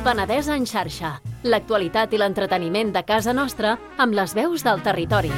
Penedès en xarxa. L'actualitat i l'entreteniment de casa nostra amb les veus del territori.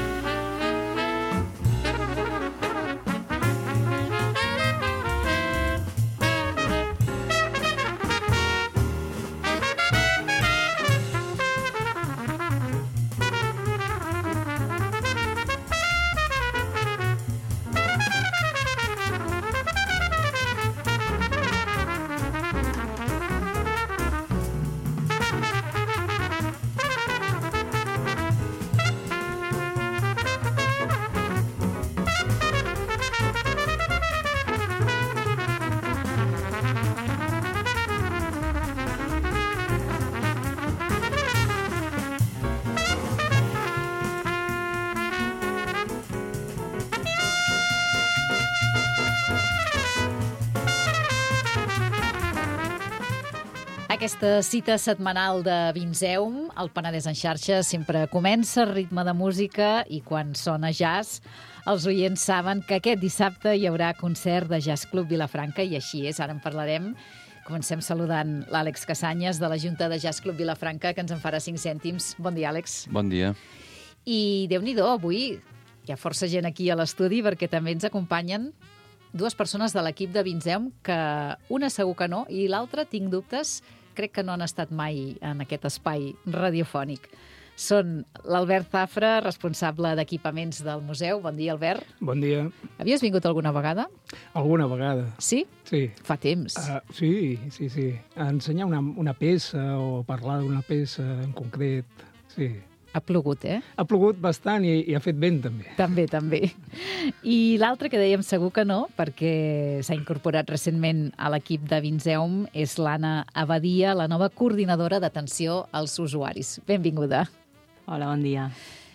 Aquesta cita setmanal de Vinzeum, el Penedès en xarxa, sempre comença a ritme de música i quan sona jazz, els oients saben que aquest dissabte hi haurà concert de Jazz Club Vilafranca i així és, ara en parlarem. Comencem saludant l'Àlex Casanyes de la Junta de Jazz Club Vilafranca, que ens en farà 5 cèntims. Bon dia, Àlex. Bon dia. I Déu-n'hi-do, avui hi ha força gent aquí a l'estudi perquè també ens acompanyen dues persones de l'equip de Vinzeum, que una segur que no i l'altra tinc dubtes, crec que no han estat mai en aquest espai radiofònic. Són l'Albert Zafra, responsable d'equipaments del museu. Bon dia, Albert. Bon dia. Havies vingut alguna vegada? Alguna vegada. Sí? Sí. Fa temps. Sí. A ensenyar una peça o parlar d'una peça en concret, sí. Ha plogut, eh? Ha plogut bastant i ha fet vent, també. També. I l'altre que dèiem segur que no, perquè s'ha incorporat recentment a l'equip de Vinzeum, és l'Anna Abadia, la nova coordinadora d'atenció als usuaris. Benvinguda. Hola, bon dia.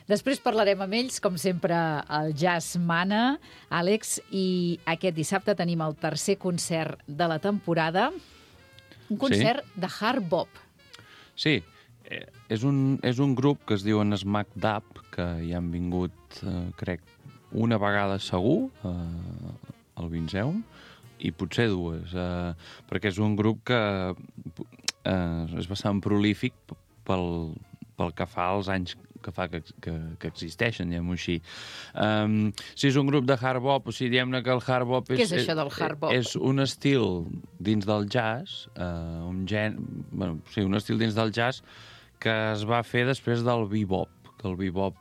Després parlarem amb ells, com sempre, el jazz mana, Àlex, i aquest dissabte tenim el tercer concert de la temporada, un concert de hard bop. Sí, és un grup que es diuen Smack Dab, que hi han vingut, crec, una vegada segur al Vinzeum, i potser dues, perquè és un grup que és bastant prolífic pel que fa als anys que existeixen, diguem-ho així. Si és un grup de hard bop, o sigui, diguem-ne que el hard bop Què és això del hard bop? És un estil dins del jazz, un estil dins del jazz que es va fer després del bebop, que el bebop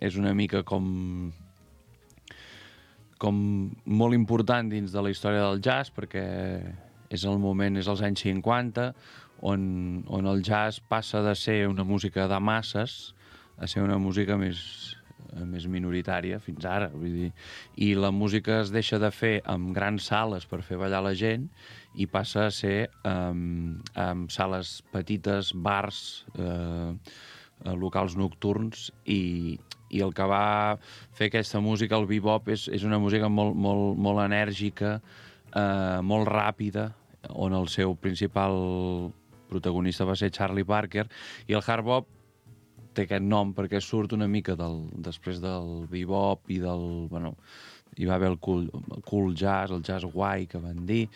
és una mica com molt important dins de la història del jazz, perquè és els anys 50, on el jazz passa de ser una música de masses a ser una música més minoritària fins ara. Vull dir, i la música es deixa de fer amb grans sales per fer ballar la gent i passa a ser amb sales petites, bars, locals nocturns, i el que va fer aquesta música, el bebop, és una música molt enèrgica, molt ràpida, on el seu principal protagonista va ser Charlie Parker, i el hard bop té aquest nom perquè surt una mica després del bebop i del... hi va haver el cool jazz, el jazz guai, que van dir,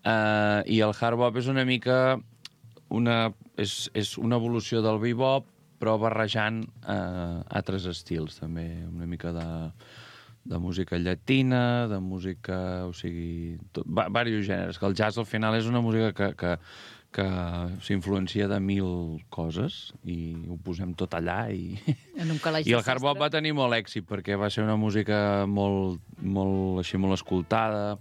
i el hard bop és una mica és una evolució del bebop, però barrejant altres estils, també, una mica de música llatina, de música... O sigui, diversos gèneres, que el jazz al final és una música que s'influencia de 1000 coses i ho posem tot allà i el hard bop va tenir molt èxit perquè va ser una música molt escoltada,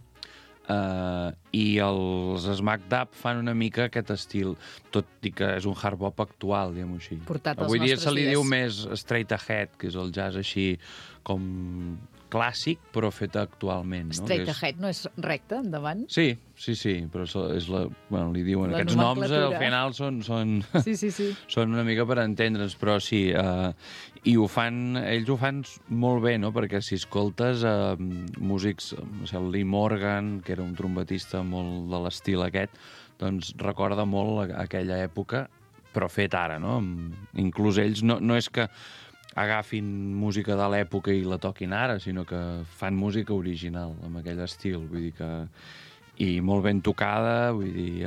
i els Smack Dab fan una mica aquest estil, tot i que és un hard bop actual, diguem-ho així. Avui dia se li diu més straight ahead, que és el jazz així com clàssic, però fet actualment. Straight ahead no és recte, endavant? Sí, però li diuen... Aquests noms al final són una mica per entendre'ns, però sí, i ells ho fan molt bé, no? Perquè si escoltes músics, el Lee Morgan, que era un trompetista molt de l'estil aquest, doncs recorda molt aquella època, però fet ara, no? Inclús ells no és que agafin música de l'època i la toquin ara, sinó que fan música original, amb aquell estil, vull dir que... I molt ben tocada, vull dir...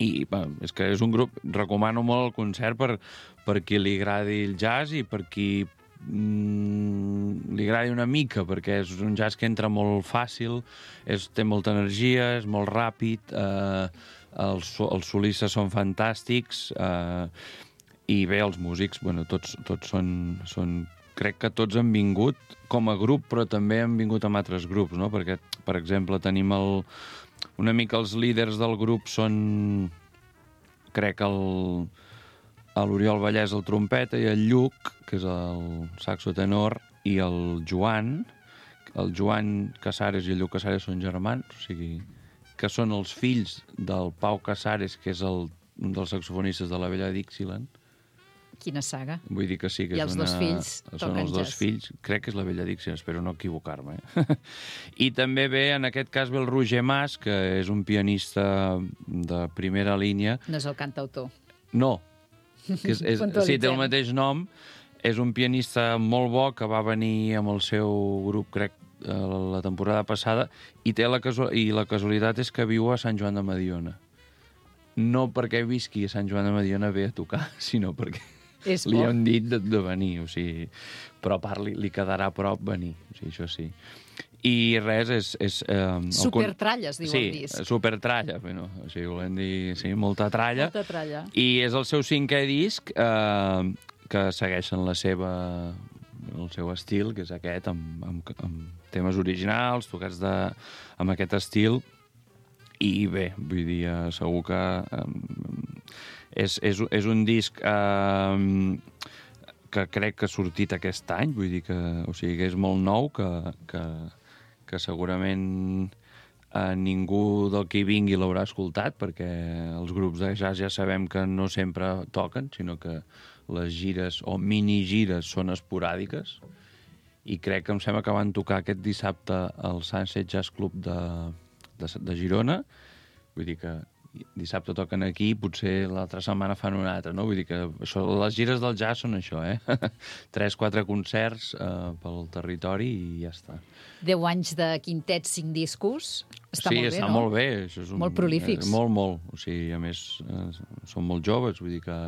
I és que és un grup, recomano molt el concert per qui li agradi el jazz i per qui li agradi una mica, perquè és un jazz que entra molt fàcil, té molta energia, és molt ràpid, els solistes són fantàstics, i bé, els músics, tots són... Crec que tots han vingut com a grup, però també han vingut amb altres grups, no? Perquè, per exemple, tenim una mica els líders del grup són, crec, l'Oriol Vallès, el trompeta, i el Lluc, que és el saxo tenor, i el Joan Casares i el Lluc Casares són germans, o sigui, que són els fills del Pau Casares, que és un dels saxofonistes de la Vella Dixieland. Quina saga. Vull dir que sí, que I els dos fills són els dos fills, crec que és la Vella Dixieland, espero no equivocar-me. I també en aquest cas ve el Roger Mas, que és un pianista de primera línia. No és el cantautor. No, que sí, té el mateix nom. És un pianista molt bo que va venir amb el seu grup, crec, la temporada passada, i la casualitat és que viu a Sant Joan de Mediona. No perquè visqui a Sant Joan de Mediona ve a tocar, sinó perquè li han dit de venir, o sigui, però a part li quedarà a prop venir, o sigui, això sí. I res, és... Supertralla, es diu el disc. Sí, supertralla, o sigui, volem dir, sí, molta tralla. Molta tralla. I és el seu 5è disc, que segueixen el seu estil, que és aquest, amb temes originals, tocats amb aquest estil. I bé, vull dir, segur que és un disc que crec que ha sortit aquest any, vull dir que és molt nou, que segurament ningú del que hi vingui l'haurà escoltat, perquè els grups de jazz ja sabem que no sempre toquen, sinó que les gires o minigires són esporàdiques, i crec que em sembla que van tocar aquest dissabte al Sunset Jazz Club de Girona. Vull dir que dissabte toquen aquí, potser l'altra setmana fan una altra, no? Vull dir que les gires del jazz són això, 3-4 concerts pel territori i ja està. 10 anys de quintet, 5 discos, està molt bé, no? Sí, està molt bé. Això és molt prolífics. Molt. O sigui, a més, són molt joves, vull dir que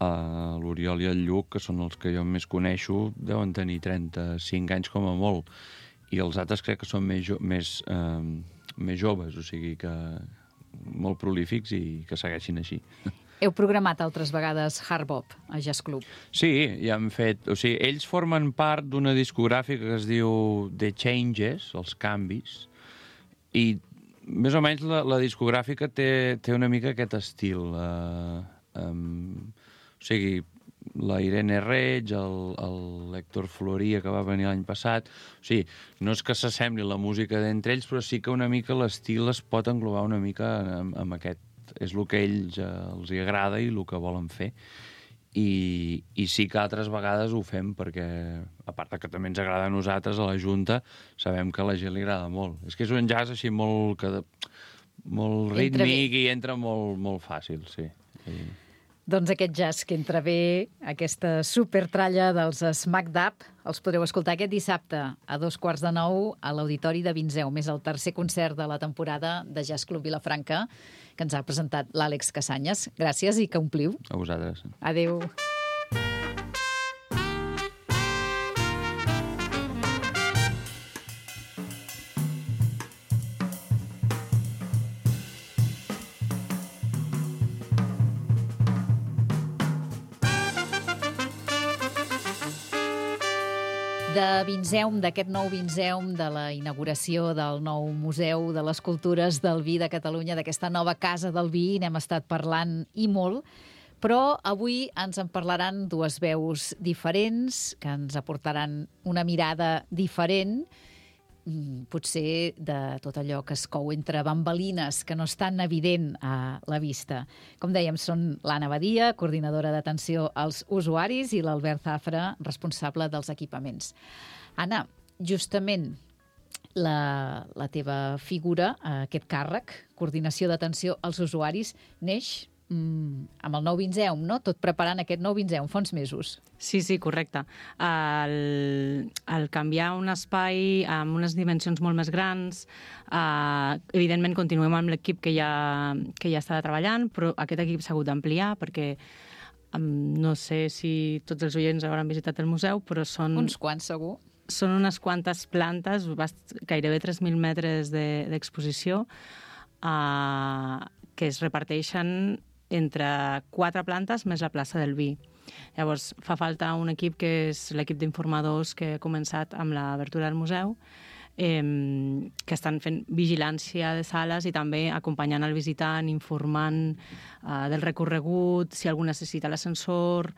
l'Oriol i el Lluc, que són els que jo més coneixo, deuen tenir 35 anys com a molt, i els altres crec que són més joves, o sigui que molt prolífics i que segueixin així. Heu programat altres vegades Hard Bop a Jazz Club? Sí, ja hem fet... O sigui, ells formen part d'una discogràfica que es diu The Changes, els canvis, i més o menys la discogràfica té una mica aquest estil. O sigui, la Irene Reig, l'Héctor Floria, que va venir l'any passat. O sigui, no és que s'assembli la música d'entre ells, però sí que una mica l'estil es pot englobar una mica amb aquest. És el que a ells els agrada i el que volen fer. I sí que altres vegades ho fem perquè, a part que també ens agrada a nosaltres, a la Junta, sabem que a la gent li agrada molt. És que és un jazz així molt rítmic i entra molt fàcil, sí. Doncs aquest jazz que entra bé, aquesta supertralla dels Smack Dab, els podreu escoltar aquest dissabte a 8:15 a l'Auditori de Vinzeu, més el tercer concert de la temporada de Jazz Club Vilafranca, que ens ha presentat l'Àlex Casanyes. Gràcies i que ompliu. A vosaltres. Adéu. De Vinzeum, d'aquest nou Vinzeum, de la inauguració del nou Museu de les Cultures del Vi de Catalunya, d'aquesta nova Casa del Vi, n'hem estat parlant i molt, però avui ens en parlaran dues veus diferents, que ens aportaran una mirada diferent, potser de tot allò que es cou entre bambalines, que no és tan evident a la vista. Com dèiem, són l'Anna Badia, coordinadora d'atenció als usuaris, i l'Albert Zafra, responsable dels equipaments. Anna, justament la teva figura, aquest càrrec, coordinació d'atenció als usuaris, neix amb el nou Vinceum, no? Tot preparant aquest nou Vinceum, fa uns mesos. Sí, correcte. El canviar un espai amb unes dimensions molt més grans, evidentment continuem amb l'equip que ja estava treballant, però aquest equip s'ha hagut d'ampliar perquè no sé si tots els oients hauran visitat el museu, però són... Uns quants, segur. Són unes quantes plantes, gairebé 3.000 metres d'exposició, que es reparteixen entre 4 plantes més la plaça del vi. Llavors, fa falta un equip que és l'equip d'informadors que ha començat amb l'obertura del museu, que estan fent vigilància de sales i també acompanyant el visitant, informant del recorregut, si algú necessita l'ascensor,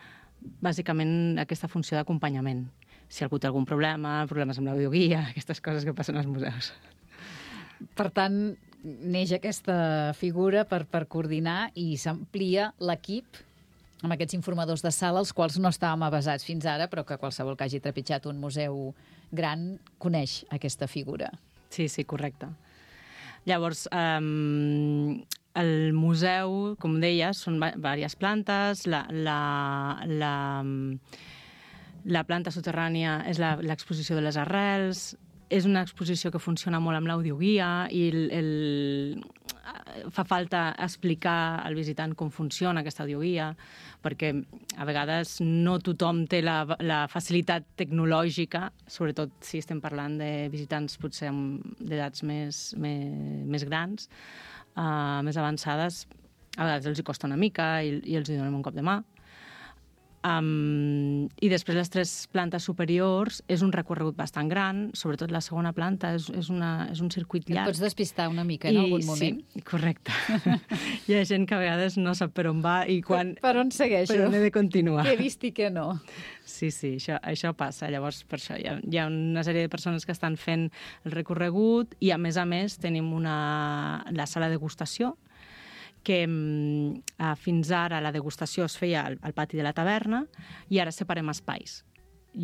bàsicament aquesta funció d'acompanyament. Si algú té algun problema, problemes amb l'audioguia, aquestes coses que passen als museus. Per tant, neix aquesta figura per coordinar i s'amplia l'equip amb aquests informadors de sala, els quals no estàvem avasats fins ara, però que qualsevol que hagi trepitjat un museu gran coneix aquesta figura. Sí, correcte. Llavors, el museu, com deia, són diverses plantes. La planta soterrània és l'exposició de les arrels. És una exposició que funciona molt amb l'audioguia i fa falta explicar al visitant com funciona aquesta audioguia, perquè a vegades no tothom té la facilitat tecnològica, sobretot si estem parlant de visitants potser d'edats més grans, més avançades. A vegades els hi costa una mica i els hi donem un cop de mà. I després les 3 plantes superiors és un recorregut bastant gran, sobretot la segona planta és un circuit llarg. Et pots despistar una mica en algun moment? Sí, correcte. Hi ha gent que a vegades no sap per on va i quan... Per on segueixo? Per on he de continuar. Què he vist i què no. Sí, això passa. Llavors, per això hi ha una sèrie de persones que estan fent el recorregut i, a més, tenim la sala de degustació, que fins ara la degustació es feia al pati de la taverna i ara separem espais.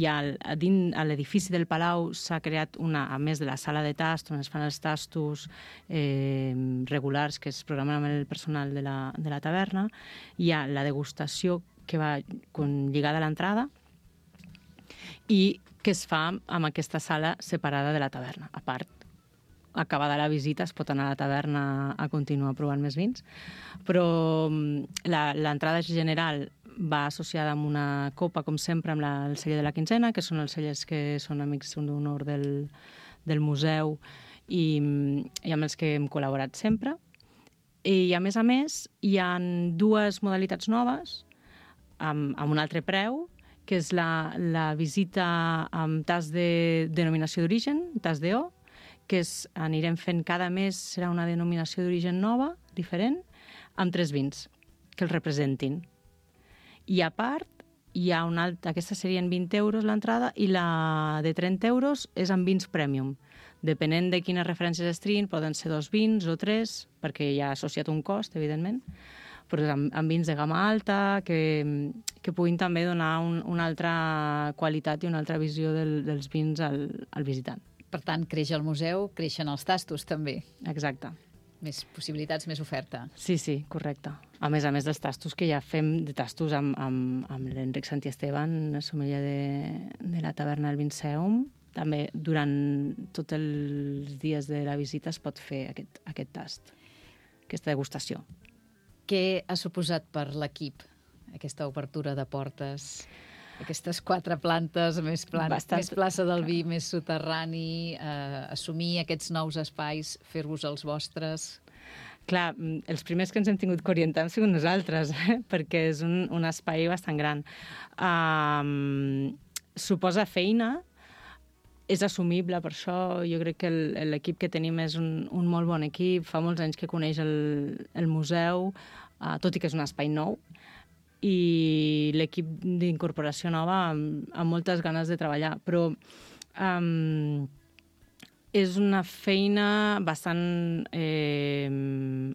A l'edifici del Palau s'ha creat a més de la sala de tast, on es fan els tastos regulars que es programen amb el personal de la taverna, hi ha la degustació que va lligada a l'entrada i que es fa amb aquesta sala separada de la taverna, a part. Acabada la visita es pot anar a la taverna a continuar provant més vins, però l'entrada general va associada amb una copa, com sempre, amb el celler de la quinzena, que són els cellers que són amics d'honor del museu i amb els que hem col·laborat sempre. I, a més, hi ha 2 modalitats noves amb un altre preu, que és la visita amb tast de denominació d'origen, tast d'EO, que anirem fent cada mes, serà una denominació d'origen nova, diferent, amb 3 vins que el representin. I a part, hi ha aquestes serien 20 euros l'entrada i la de 30 euros és amb vins premium. Depenent de quines referències es triïn, poden ser 2 vins o 3, perquè hi ha associat un cost, evidentment, però amb vins de gamma alta que puguin també donar una altra qualitat i una altra visió dels vins al visitant. Per tant, creix el museu, creixen els tastos, també. Exacte. Més possibilitats, més oferta. Sí, correcte. A més dels tastos que ja fem, de tastos amb l'Enric Santiesteban, sommelier de la taverna del Vinceum. També durant tots els dies de la visita es pot fer aquest tast, aquesta degustació. Què ha suposat per l'equip aquesta obertura de portes? Aquestes 4 plantes, més plaça del vi, més soterrani, assumir aquests nous espais, fer-vos els vostres... Clar, els primers que ens hem tingut que orientar hem sigut nosaltres, perquè és un espai bastant gran. Suposa feina, és assumible, per això jo crec que l'equip que tenim és un molt bon equip, fa molts anys que coneix el museu, tot i que és un espai nou, i l'equip d'incorporació nova amb moltes ganes de treballar, però és una feina bastant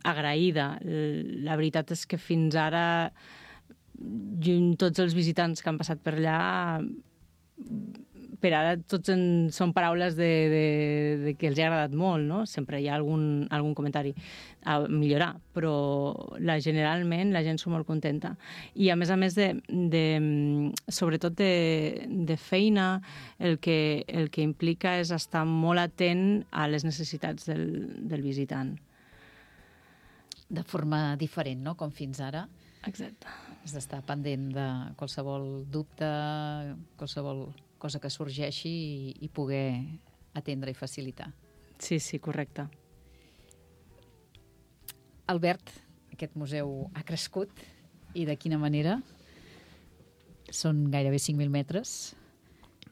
agraïda. La veritat és que fins ara tots els visitants que han passat per allà per ara tots són paraules de que els ha agradat molt, no? Sempre hi ha algun comentari a millorar, però generalment la gent s'ho molt contenta. I a més, sobretot de feina, el que implica és estar molt atent a les necessitats del visitant. De forma diferent, no?, com fins ara. Exacte. Has d'estar pendent de qualsevol dubte, qualsevol cosa que sorgeixi i poder atendre i facilitar. Sí, correcte. Albert, aquest museu ha crescut i de quina manera? Són gairebé 5.000 metres.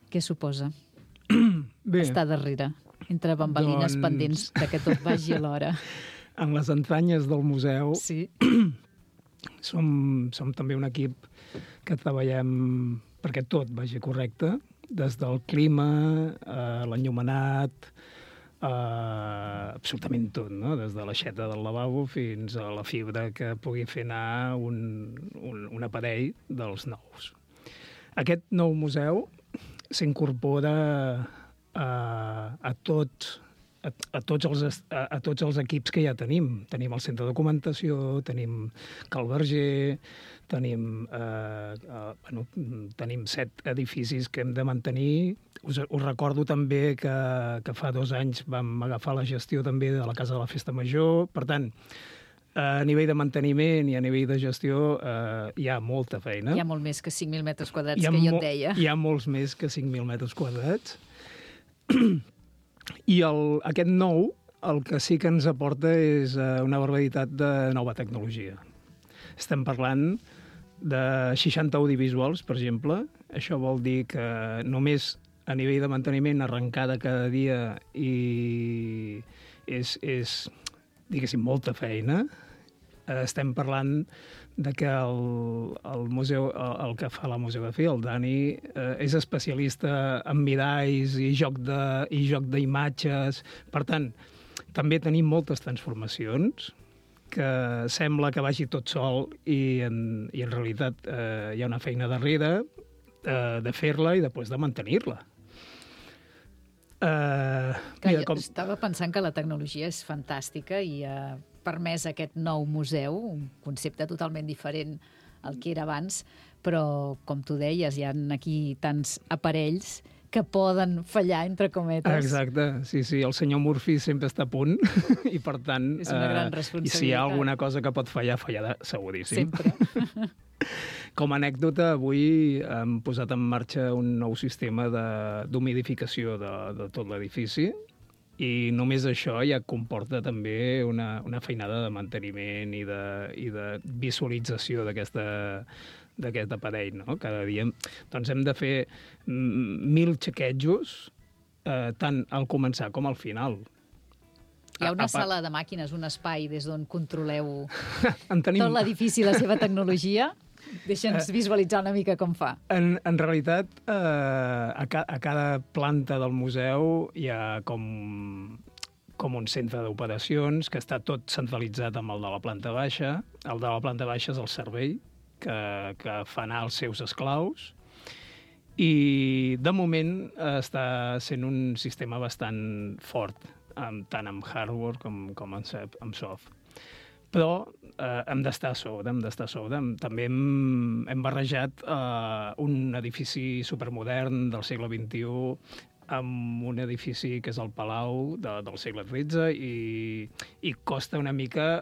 Què suposa estar darrere, entre bambalines pendents de que tot vagi alhora? En les entranyes del museu sí. Som també un equip que treballem perquè tot vagi correcte, des del clima, l'enllumenat, absolutament tot, no? Des de l'aixeta del lavabo fins a la fibra que pugui fer anar un aparell dels nous. Aquest nou museu s'incorpora a tots els equips que ja tenim. Tenim el centre de documentació, tenim Cal Verger, tenim 7 edificis que hem de mantenir. Us recordo també que fa 2 anys vam agafar la gestió també de la Casa de la Festa Major. Per tant, a nivell de manteniment i a nivell de gestió hi ha molta feina. Hi ha molt més que 5.000 metres quadrats, que jo et deia. Hi ha molts més que 5.000 metres quadrats. I aquest nou, el que sí que ens aporta és una barbaritat de nova tecnologia. Estem parlant de 60 audiovisuals, per exemple. Això vol dir que només a nivell de manteniment, arrencada cada dia, i és diguéssim, molta feina. Estem parlant de que el museu, el que fa la museografia, el Dani, és especialista en miralls i joc d'imatges. Per tant, també tenim moltes transformacions que sembla que vagi tot sol i en realitat hi ha una feina darrere de fer-la i després de mantenir-la. Estava pensant que la tecnologia és fantàstica i ha permès aquest nou museu, un concepte totalment diferent al que era abans, però, com tu deies, hi ha aquí tants aparells que poden fallar, entre cometes. Exacte, sí, el senyor Murphy sempre està a punt i, per tant, és una gran responsabilitat. I si hi ha alguna cosa que pot fallar, fallarà seguríssim. Sempre. Com a anècdota, avui hem posat en marxa un nou sistema d'humidificació de tot l'edifici i només això ja comporta també una feinada de manteniment i de visualització d'aquest aparell, no? Cada dia doncs hem de fer 1.000 xequejos tant al començar com al final. Hi ha una sala de màquines, un espai des d'on controleu tot l'edifici i la seva tecnologia? Deixa'ns visualitzar una mica com fa. En realitat, a cada planta del museu hi ha com un centre d'operacions que està tot centralitzat amb el de la planta baixa. El de la planta baixa és el servei que fa anar els seus esclaus i, de moment, està sent un sistema bastant fort, tant amb hardware com amb soft. Però hem d'estar a sobre. També hem barrejat un edifici supermodern del segle XXI amb un edifici que és el Palau del segle XIII i costa una mica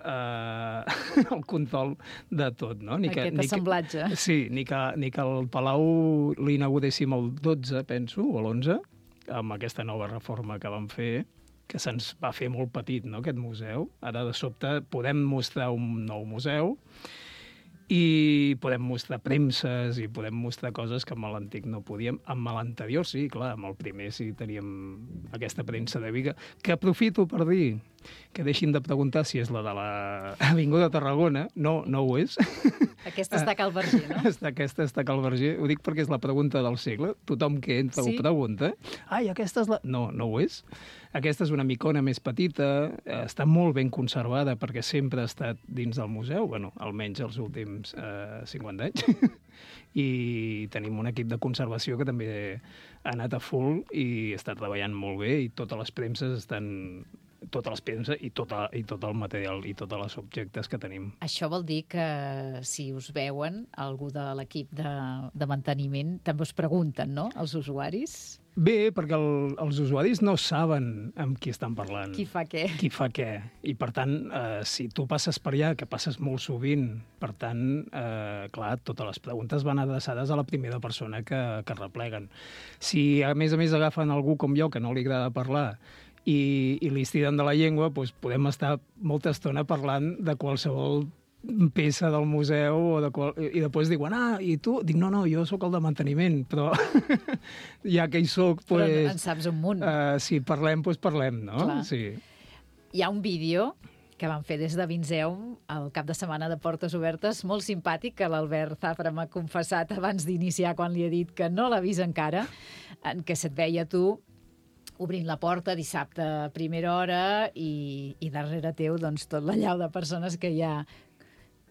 el control de tot, no? Aquest assemblatge. Sí, ni que el Palau l'inauguréssim el 12, penso, o l'11, amb aquesta nova reforma que vam fer, que se'ns va fer molt petit, no?, aquest museu. Ara, de sobte, podem mostrar un nou museu i podem mostrar premses i podem mostrar coses que amb l'antic no podíem. Amb l'anterior sí, clar, amb el primer sí teníem aquesta premsa de Viga, que aprofito per dir que deixin de preguntar si és la de l'Avinguda de Tarragona. No, no ho és. Aquesta està a Cal Verger, no? Aquesta està a Cal Verger. Ho dic perquè és la pregunta del segle. Tothom que entra ho pregunta. Ai, aquesta és la... No, no ho és. Aquesta és una micona més petita, està molt ben conservada perquè sempre ha estat dins del museu, bueno, almenys els últims 50 anys. I tenim un equip de conservació que també ha anat a full i està treballant molt bé i totes les premses estan... Totes les premses i tot el material i tots els objectes que tenim. Això vol dir que si us veuen, algú de l'equip de manteniment també us pregunten, no?, els usuaris? Bé, perquè els usuaris no saben amb qui estan parlant. Qui fa què. Qui fa què. I, per tant, si tu passes per allà, que passes molt sovint, per tant, clar, totes les preguntes van adreçades a la primera persona que repleguen. Si, a més, agafen algú com jo, que no li agrada parlar, i li estiren de la llengua, doncs podem estar molta estona parlant de qualsevol peça del museu i després diuen, i tu? Dic, no, jo sóc el de manteniment, però ja que hi soc, però en saps un munt. Si parlem, doncs parlem, no? Clar. Sí. Hi ha un vídeo que van fer des de Vinzeum el cap de setmana de Portes Obertes, molt simpàtic, que l'Albert Zafra m'ha confessat abans d'iniciar, quan li he dit que no l'ha vist encara, en què se't veia tu obrint la porta dissabte a primera hora i darrere teu doncs, tot l'allau de persones que ja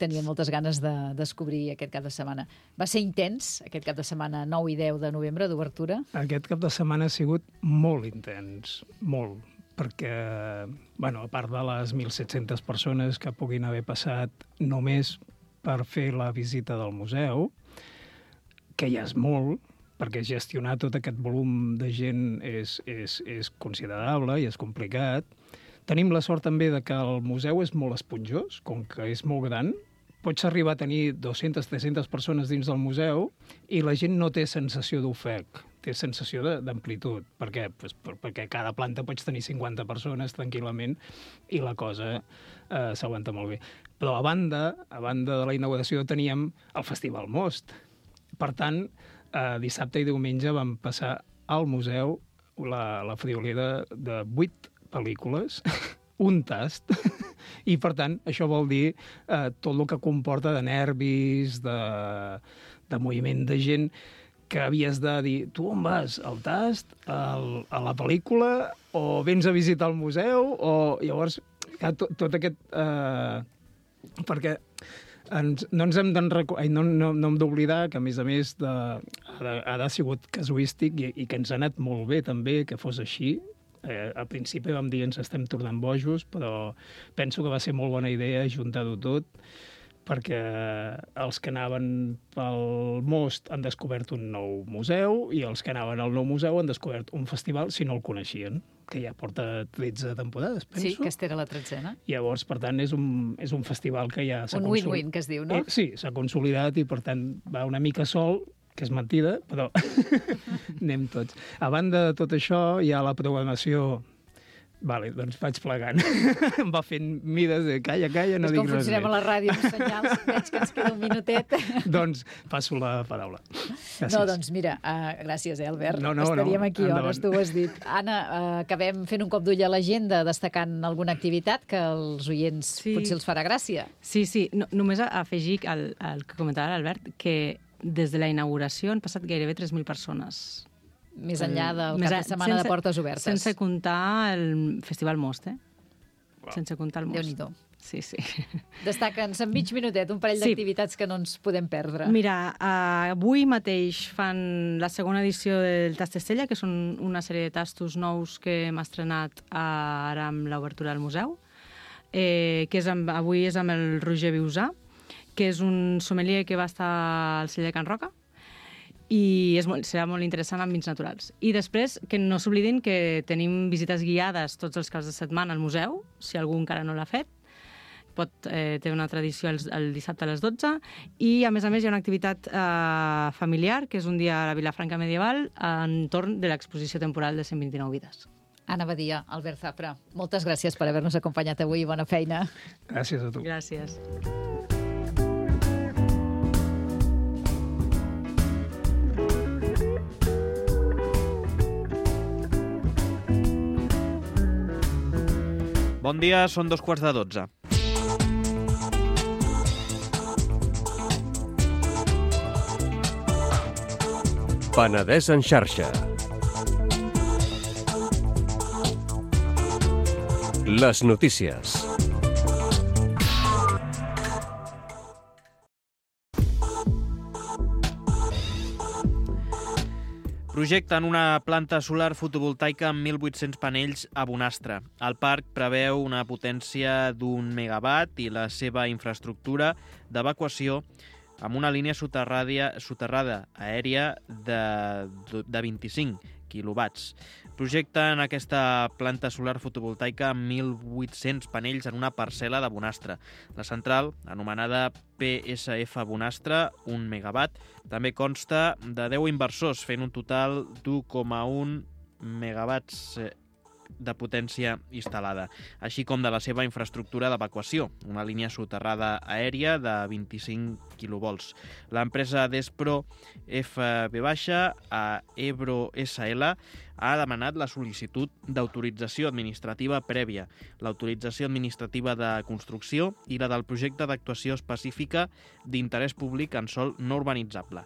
tenien moltes ganes de descobrir aquest cap de setmana. Va ser intens, aquest cap de setmana 9 i 10 de novembre d'obertura? Aquest cap de setmana ha sigut molt intens, molt, perquè, bueno, a part de les 1.700 persones que puguin haver passat només per fer la visita del museu, que ja és molt, perquè gestionar tot aquest volum de gent és considerable i és complicat. Tenim la sort també de que el museu és molt esponjós, com que és molt gran. Pots arribar a tenir 200-300 persones dins del museu i la gent no té sensació d'ofec, té sensació d'amplitud. Per què? Pues perquè a cada planta pots tenir 50 persones tranquil·lament i la cosa s'aguanta molt bé. Però a banda de la inauguració teníem el Festival Most. Per tant, dissabte i diumenge vam passar al museu la friolera de 8 pel·lícules, un tast, i per tant això vol dir tot el que comporta de nervis, de moviment de gent, que havies de dir, tu on vas? Al tast? A la pel·lícula? O vens a visitar el museu? O llavors, tot aquest... perquè no ens hem d'oblidar que, a més, ha sigut casuístic i que ens ha anat molt bé també que fos així. Al principi vam dir ens estem tornant bojos, però penso que va ser molt bona idea juntar-ho tot, perquè els que anaven pel Most han descobert un nou museu i els que anaven al nou museu han descobert un festival si no el coneixien, que ja porta 13 temporades, penso. Sí, aquesta era la 13a. Llavors, per tant, és un festival que ja s'ha consolidat. Un win-win, que es diu, no? Sí, s'ha consolidat i, per tant, va una mica sol, que és mentida, però anem tots. A banda de tot això, hi ha la programació. Vale, doncs vaig plegant. Em va fent mides de calla, no dic res més. Com funcionem a la ràdio amb senyals, veig que ens queda un minutet. Doncs passo la paraula. Gràcies. No, doncs mira, gràcies, Albert. Estaríem aquí hores, tu ho has dit. Anna, acabem fent un cop d'ull a l'agenda, destacant alguna activitat que als oients potser els farà gràcia. Sí. Només afegir el que comentava l'Albert, que des de la inauguració han passat gairebé 3.000 persones. Més enllà del cap de setmana de Portes Obertes. Sense comptar el Festival Most, Sense comptar el Most. Déu-n'hi-do. Sí. Destaca'ns en mig minutet un parell d'activitats que no ens podem perdre. Mira, avui mateix fan la segona edició del Tast Estella, que són una sèrie de tastos nous que hem estrenat ara amb l'obertura del museu, que avui és amb el Roger Viusà, que és un sommelier que va estar al celler de Can Roca, i serà molt interessant amb vins naturals. I després, que no s'oblidin que tenim visites guiades tots els caps de setmana al museu, si algú encara no l'ha fet. Té una tradició el dissabte a les 12, i a més hi ha una activitat familiar, que és un dia a la Vilafranca Medieval, entorn de l'exposició temporal de 129 vides. Anna Badia, Albert Zafra, moltes gràcies per haver-nos acompanyat avui i bona feina. Gràcies a tu. Gràcies. Bon dia, són 2:15. Penedès en xarxa. Les notícies. Projecten una planta solar fotovoltaica amb 1.800 panells a Bonastre. El parc preveu una potència d'1 megawatt i la seva infraestructura d'evacuació amb una línia soterrada aèria de 25 quilowatts. Projecten aquesta planta solar fotovoltaica amb 1.800 panells en una parcel·la de Bonastre. La central, anomenada PSF Bonastre, 1 megawatt, també consta de 10 inversors, fent un total d'1,1 megawatts de potència instal·lada, així com de la seva infraestructura d'evacuació, una línia soterrada aèria de 25 quilovolts. L'empresa Despro FB- a Ebro SL ha demanat la sol·licitud d'autorització administrativa prèvia, l'autorització administrativa de construcció i la del projecte d'actuació específica d'interès públic en sòl no urbanitzable.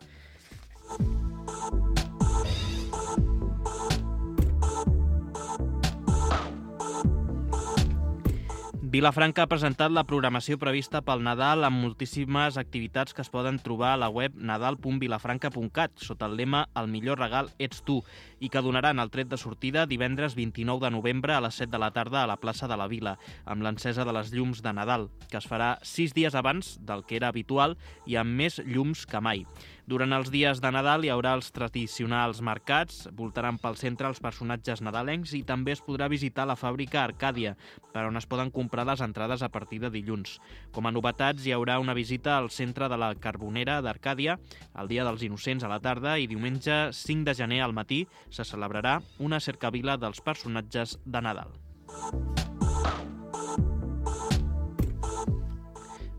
Vilafranca ha presentat la programació prevista pel Nadal amb moltíssimes activitats que es poden trobar a la web nadal.vilafranca.cat sota el lema "El millor regal ets tu" i que donaran el tret de sortida divendres 29 de novembre a les 7 de la tarda a la plaça de la Vila, amb l'encesa de les llums de Nadal, que es farà 6 dies abans del que era habitual i amb més llums que mai. Durant els dies de Nadal hi haurà els tradicionals mercats, voltaran pel centre els personatges nadalencs i també es podrà visitar la fàbrica Arcàdia, per on es poden comprar les entrades a partir de dilluns. Com a novetats, hi haurà una visita al centre de la Carbonera d'Arcàdia el dia dels Innocents a la tarda i diumenge 5 de gener al matí se celebrarà una cercavila dels personatges de Nadal.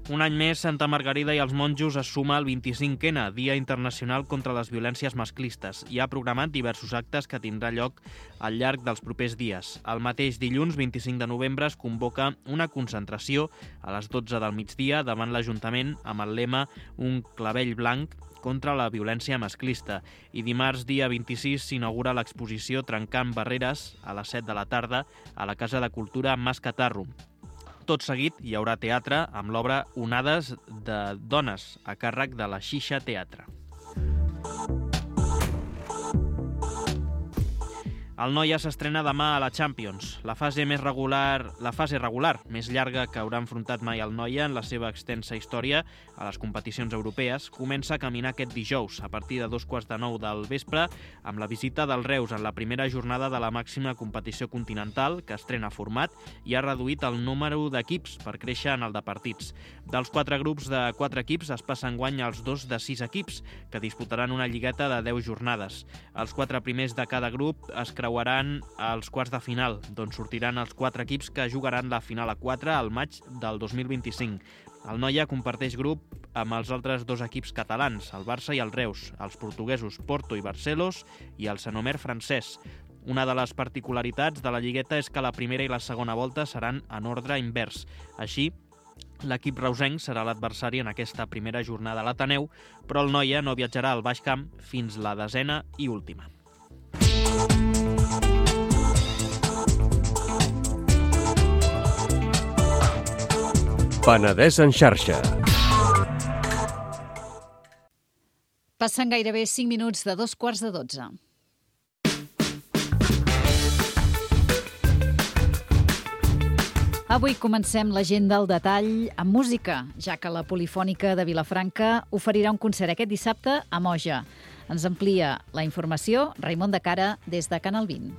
Un any més, Santa Margarida i els monjos es suma al 25N, Dia Internacional contra les Violències Masclistes, i ha programat diversos actes que tindrà lloc al llarg dels propers dies. El mateix dilluns, 25 de novembre, es convoca una concentració a les 12 del migdia davant l'Ajuntament amb el lema "Un clavell blanc contra la violència masclista", i dimarts, dia 26, s'inaugura l'exposició Trencant Barreres a les 7 de la tarda a la Casa de Cultura Mas Catarro. Tot seguit hi haurà teatre amb l'obra Onades de dones, a càrrec de la Xixa Teatre. El Noia s'estrena demà a la Champions. La fase regular més llarga que haurà enfrontat mai el Noia en la seva extensa història a les competicions europees comença a caminar aquest dijous a partir de 8:45 del vespre amb la visita del Reus en la primera jornada de la màxima competició continental que estrena format i ha reduït el número d'equips per créixer en el de partits. Dels 4 grups de 4 equips es passa enguany als 2 de 6 equips que disputaran una lligueta de 10 jornades. Els 4 primers de cada grup es creuaran als quarts de final, d'on sortiran els 4 equips que jugaran la final a 4 al maig del 2025. El Noia comparteix grup amb els altres 2 equips catalans, el Barça i el Reus, els portuguesos Porto i Barcelos i el Saint-Omer francès. Una de les particularitats de la lligueta és que la primera i la segona volta seran en ordre invers. Així, l'equip reusenc serà l'adversari en aquesta primera jornada a l'Ateneu, però el Noia no viatjarà al Baix Camp fins la 10ª i última. Penedès en xarxa. Passen gairebé 5 minuts de 2:15. Avui comencem l'agenda al detall amb música, ja que la Polifònica de Vilafranca oferirà un concert aquest dissabte a Moja. Ens amplia la informació Raimon de Cara des de Canal 20.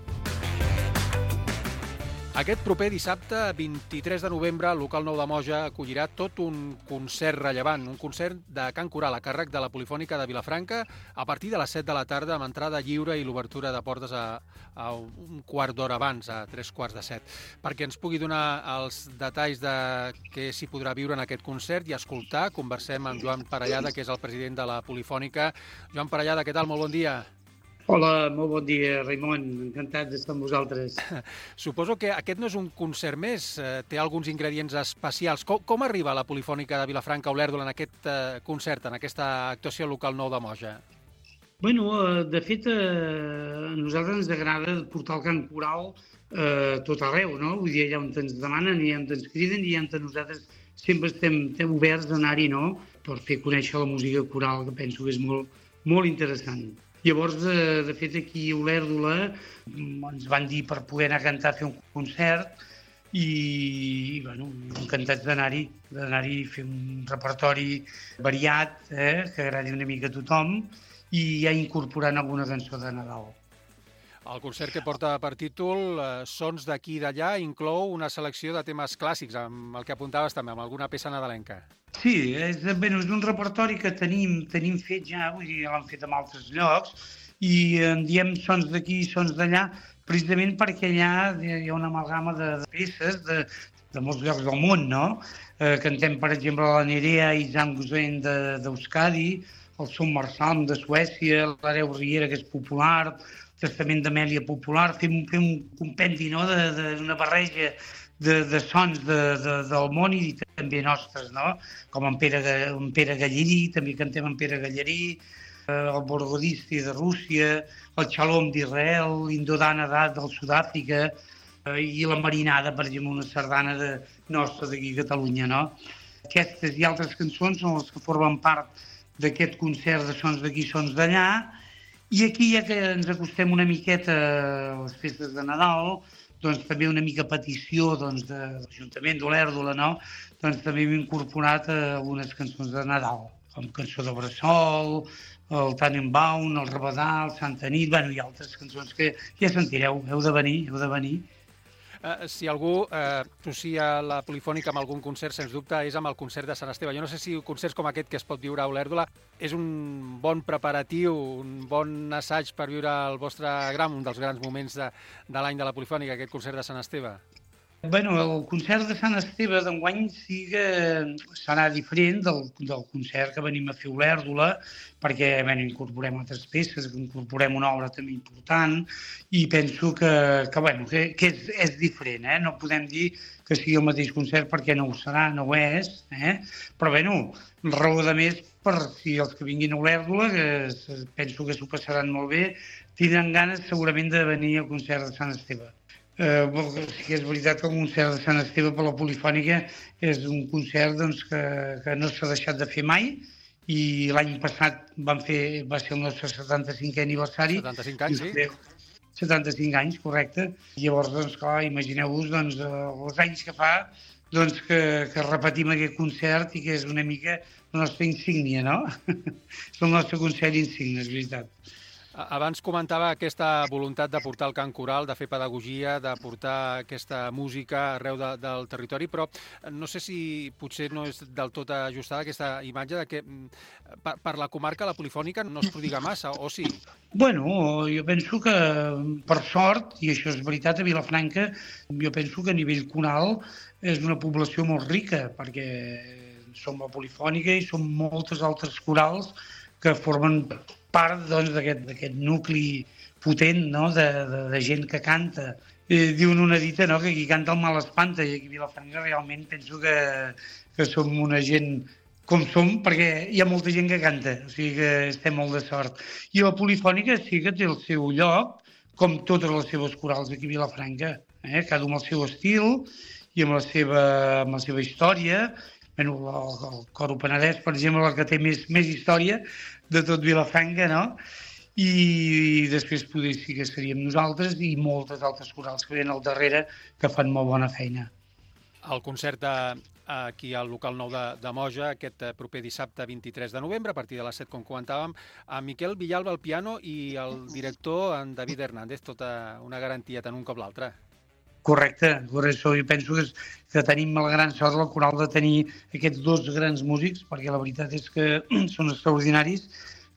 Aquest proper dissabte, 23 de novembre, el local nou de Moja acollirà tot un concert rellevant, un concert de cant coral a càrrec de la Polifònica de Vilafranca a partir de les 7 de la tarda amb entrada lliure i l'obertura de portes a un quart d'hora abans, a 3:15. Perquè ens pugui donar els detalls de què s'hi podrà viure en aquest concert i escoltar, conversem amb Joan Parellada, que és el president de la Polifònica. Joan Parellada, què tal? Molt bon dia. Hola, molt bon dia, Raimon. Encantat d'estar amb vosaltres. Suposo que aquest no és un concert més, té alguns ingredients especials. Com arriba la Polifònica de Vilafranca Olèrdola en aquest concert, en aquesta actuació local nou de Moja? Bueno, de fet, a nosaltres ens agrada portar el cant coral tot arreu, no? Vull dir, allà on ens demanen, i on ens criden, i on nosaltres sempre estem oberts a anar-hi, no?, per fer conèixer la música coral, que penso que és molt, molt interessant. Llavors, de fet, aquí a Olèrdola ens van dir per poder anar a cantar, a fer un concert, i bueno, encantats d'anar-hi a fer un repertori variat, que agradi una mica a tothom, i ja incorporant alguna cançó de Nadal. El concert, que porta per títol Sons d'aquí i d'allà, inclou una selecció de temes clàssics, amb el que apuntaves també, amb alguna peça nadalenca. Sí, és un repertori que tenim fet ja, vull dir, l'hem fet en altres llocs, i en diem Sons d'aquí i Sons d'allà, precisament perquè allà hi ha una amalgama de peces de molts llocs del món, no? Cantem, per exemple, la Nerea i Zamgusen d'Euskadi, el Som Marsalm de Suècia, l'Areu Riera, que és popular, el Testament d'Amèlia popular, fem un compendi, no?, d'una barreja de sons del món i també nostres, no? Com en Pere Gallerí, també cantem en Pere Gallerí, el Borgodisti de Rússia, el Xalom d'Israel, l'Indodana del Sud-àfrica i la Marinada, per exemple, una sardana nostra d'aquí a Catalunya, no? Aquestes i altres cançons són les que formen part d'aquest concert de Sons d'aquí, Sons d'allà, i aquí, ja que ens acostem una miqueta a les festes de Nadal, doncs també una mica petició de l'Ajuntament d'Olèrdola, no? Doncs també hem incorporat algunes cançons de Nadal, com Cançó de Bressol, el Tannenbaum, el Rabadà, el Santa Nit, bueno, i altres cançons que ja sentireu, heu de venir. Si algú associa la Polifònica amb algun concert, sens dubte, és amb el concert de Sant Esteve. Jo no sé si concerts com aquest que es pot viure a Olèrdola és un bon preparatiu, un bon assaig per viure un dels grans moments de l'any de la Polifònica, aquest concert de Sant Esteve. Bueno, el concert de Sant Esteve d'enguany serà diferent del concert que venim a fer a Olèrdola, perquè incorporem altres peces, incorporem una obra també important, i penso que és diferent. No podem dir que sigui el mateix concert perquè no ho serà, no ho és, però raó de més per si els que vinguin a Olèrdola, que penso que s'ho passaran molt bé, tindran ganes segurament de venir al concert de Sant Esteve. Sí que és veritat que el concert de Sant Esteve per la Polifònica és un concert que no s'ha deixat de fer mai, i l'any passat va ser el nostre 75è aniversari. 75 anys, sí. 75 anys, correcte. Llavors, clar, imagineu-vos els anys que fa que repetim aquest concert i que és una mica la nostra insígnia, no? És el nostre concert insígnia, és veritat. Abans comentava aquesta voluntat de portar el cant coral, de fer pedagogia, de portar aquesta música arreu del territori, però no sé si potser no és del tot ajustada aquesta imatge de que per la comarca la Polifònica no es prodiga massa, o sí? Bueno, jo penso que, per sort, i això és veritat, a Vilafranca, jo penso que a nivell coral és una població molt rica, perquè som la Polifònica i som moltes altres corals que formen part d'aquest nucli potent, no?, de gent que canta. Diuen una dita, no?, que qui canta el mal espanta, i aquí a Vilafranca realment penso que som una gent com som, perquè hi ha molta gent que canta, o sigui que estem molt de sort. I la Polifònica sí que té el seu lloc, com totes les seves corals aquí a Vilafranca, cada un amb el seu estil i amb la seva història. El Coro Penedès, per exemple, el que té més història de tot Vilafranca, no? I després potser sí que seríem nosaltres i moltes altres corals que venen al darrere que fan molt bona feina. El concert aquí al local nou de Moja, aquest proper dissabte 23 de novembre, a partir de les 7, com comentàvem, amb Miquel Villalba al piano i el director, en David Hernández, tota una garantia tant un com l'altre. Correcte. Jo penso que tenim la gran sort, la coral, de tenir aquests dos grans músics, perquè la veritat és que són extraordinaris,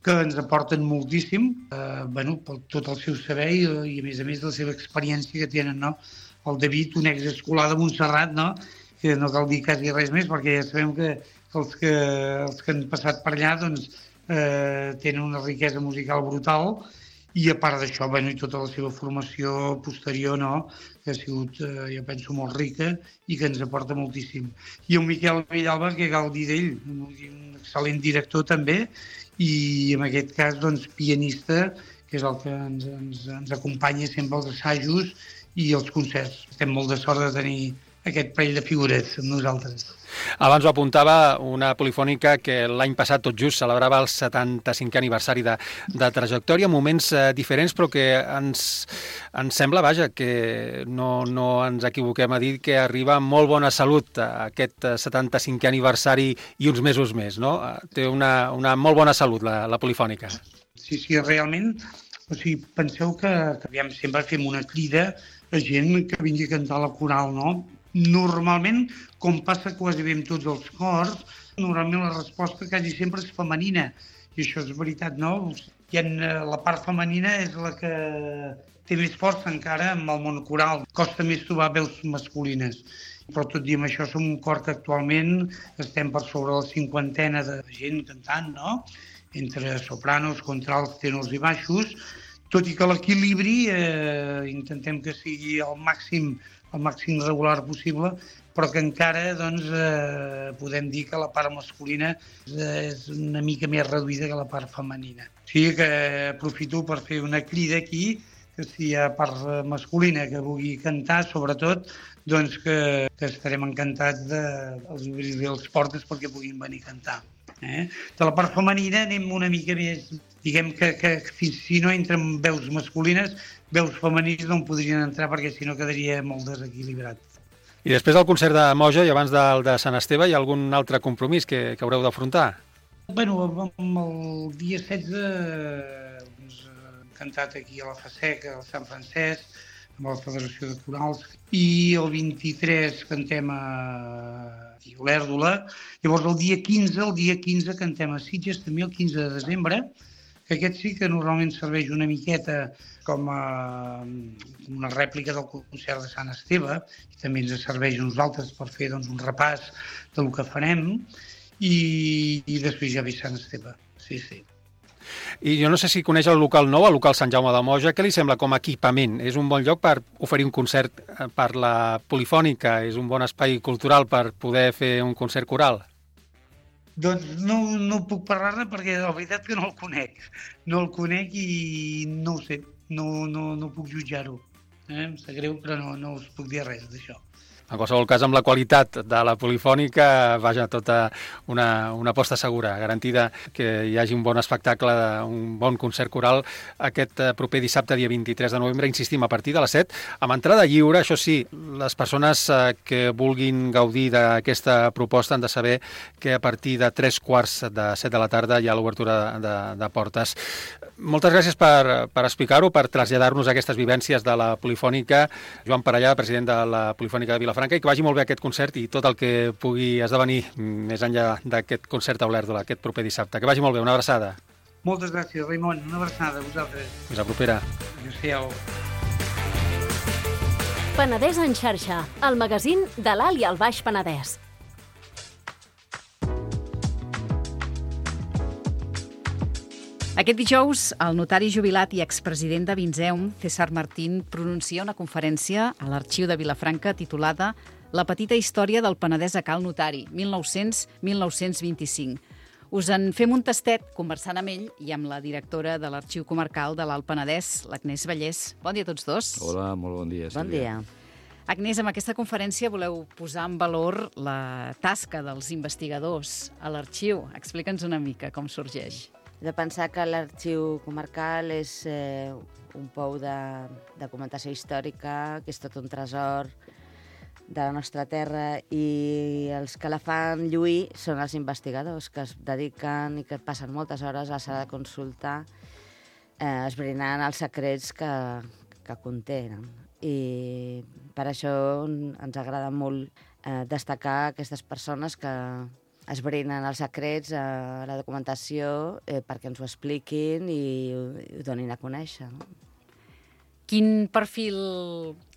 que ens aporten moltíssim, per tot el seu saber i a més la seva experiència que tenen, no? El David, un exescolar de Montserrat, no? Que no cal dir quasi res més, perquè ja sabem que els que han passat per allà tenen una riquesa musical brutal, I a part d'això, i tota la seva formació posterior, no?, que ha sigut, jo penso, molt rica i que ens aporta moltíssim. I el Miquel Villalba, que cal dir d'ell, un excel·lent director també, i en aquest cas, doncs, pianista, que és el que ens acompanya sempre als assajos i als concerts. Estem molt de sort de tenir aquest parell de figures amb nosaltres. Abans ho apuntava, una polifònica que l'any passat tot just celebrava el 75è aniversari de trajectòria, moments diferents, però que ens sembla, vaja, que no ens equivoquem a dir que arriba amb molt bona salut aquest 75è aniversari i uns mesos més, no? Té una molt bona salut, la polifònica. Sí, realment, o sigui, penseu que aviam, sempre fem una crida a gent que vingui a cantar a la coral, no? Normalment, com passa quasi bé amb tots els cors, normalment la resposta quasi sempre és femenina. I això és veritat, no? La part femenina és la que té més força encara amb el món coral. Costa més trobar veus masculines. Però tot i amb això som un cor que actualment estem per sobre la 50ena de gent cantant, no? Entre sopranos, contrals, tenors i baixos, tot i que l'equilibri intentem que sigui el màxim regular possible, però que encara podem dir que la part masculina és una mica més reduïda que la part femenina. O sigui que aprofito per fer una crida aquí, que si hi ha part masculina que vulgui cantar, sobretot, doncs que estarem encantats dels obrir les portes perquè puguin venir a cantar. De la part femenina anem una mica més, diguem que si no entren veus masculines, veus femenins no en podrien entrar perquè si no quedaria molt desequilibrat. I després del concert de Moja i abans del de Sant Esteve, hi ha algun altre compromís que haureu d'afrontar? El dia 16 hem cantat aquí a la FASEC, al Sant Francesc, amb la Federació de Corals, i el 23 cantem a Olèrdola. Llavors el dia 15 cantem a Sitges, també el 15 de desembre, que aquest sí que normalment serveix una miqueta com una rèplica del concert de Sant Esteve, i també ens serveix a nosaltres per fer un repàs del que farem, i després ja ve Sant Esteve. Sí. I jo no sé si coneix el local nou, el local Sant Jaume de Moja. Què li sembla com a equipament? És un bon lloc per oferir un concert per la polifònica? És un bon espai cultural per poder fer un concert coral? Doncs no puc parlar-ne perquè la veritat que no el conec. No el conec i no ho sé, no puc jutjar-ho. Em sap greu, però no us puc dir res d'això. En qualsevol cas, amb la qualitat de la polifònica, vaja, tota una aposta segura, garantida que hi hagi un bon espectacle, un bon concert coral aquest proper dissabte, dia 23 de novembre, insistim, a partir de les 7, amb entrada lliure. Això sí, les persones que vulguin gaudir d'aquesta proposta han de saber que a partir de 3:15 de 7 de la tarda hi ha l'obertura de portes. Moltes gràcies per explicar-ho, per traslladar-nos aquestes vivències de la polifònica. Joan Parellà, president de la Polifònica de Vilafranca, i que vagi molt bé aquest concert i tot el que pugui esdevenir més enllà d'aquest concert a Olèrdola, aquest proper dissabte. Que vagi molt bé, una abraçada. Moltes gràcies, Raimon. Una abraçada a vosaltres. Fins la propera. Adéu-siau. Penedès en xarxa, el magazín de l'Alt i el Baix Penedès. Aquest dijous, el notari jubilat i expresident de Vinzeum, César Martín, pronuncia una conferència a l'Arxiu de Vilafranca titulada La petita història del Penedès a Cal Notari, 1900-1925. Us en fem un tastet conversant amb ell i amb la directora de l'Arxiu Comarcal de l'Alt Penedès, l'Agnès Vallès. Bon dia a tots dos. Hola, molt bon dia. Bon dia. Agnès, amb aquesta conferència voleu posar en valor la tasca dels investigadors a l'arxiu. Explica'ns una mica com sorgeix. De pensar que l'Arxiu Comarcal és un pou de documentació històrica, que és tot un tresor de la nostra terra, i els que la fan lluir són els investigadors que es dediquen i que passen moltes hores a la sala de consulta esbrinant els secrets que contenen. I per això ens agrada molt destacar aquestes persones que esbrinen els secrets a la documentació perquè ens ho expliquin i ho donin a conèixer. No? Quin perfil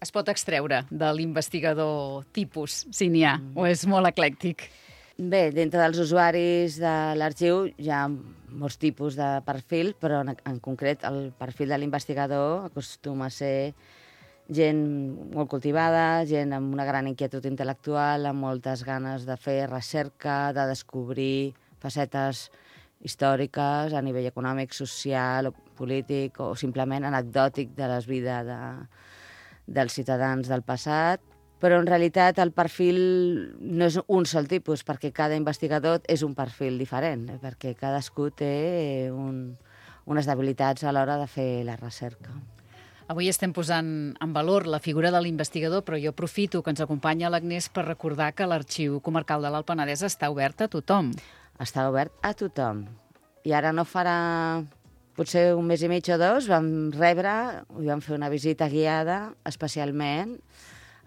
es pot extreure de l'investigador tipus, si n'hi ha, o és molt eclèctic? Bé, dintre dels usuaris de l'arxiu hi ha molts tipus de perfil, però en concret el perfil de l'investigador acostuma a ser gent molt cultivada, gent amb una gran inquietud intel·lectual, amb moltes ganes de fer recerca, de descobrir facetes històriques a nivell econòmic, social o polític o simplement anecdòtic de les vides dels ciutadans del passat. Però en realitat el perfil no és un sol tipus, perquè cada investigador és un perfil diferent, perquè cadascú té unes debilitats a l'hora de fer la recerca. Avui estem posant en valor la figura de l'investigador, però jo aprofito que ens acompanya l'Agnès per recordar que l'Arxiu Comarcal de l'Alt Penedès està obert a tothom. Està obert a tothom. I ara no farà potser un mes i mig o dos, vam fer una visita guiada especialment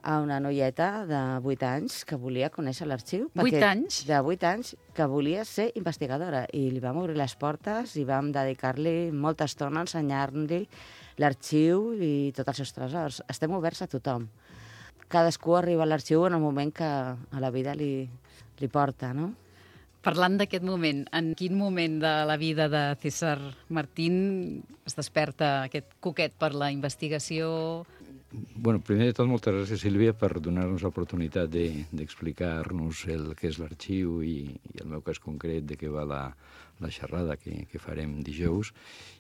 a una noieta de 8 anys que volia conèixer l'arxiu. 8 anys? De 8 anys, que volia ser investigadora. I li vam obrir les portes i vam dedicar-li molta estona a ensenyar-li l'arxiu i tots els seus tresors. Estem oberts a tothom. Cadascú arriba a l'arxiu en el moment que a la vida li porta, no? Parlant d'aquest moment, en quin moment de la vida de César Martín es desperta aquest coquet per la investigació? Bueno, primer de tot, moltes gràcies, Sílvia, per donar-nos l'oportunitat d'explicar-nos el que és l'arxiu i el meu cas concret de què va la xerrada que farem dijous.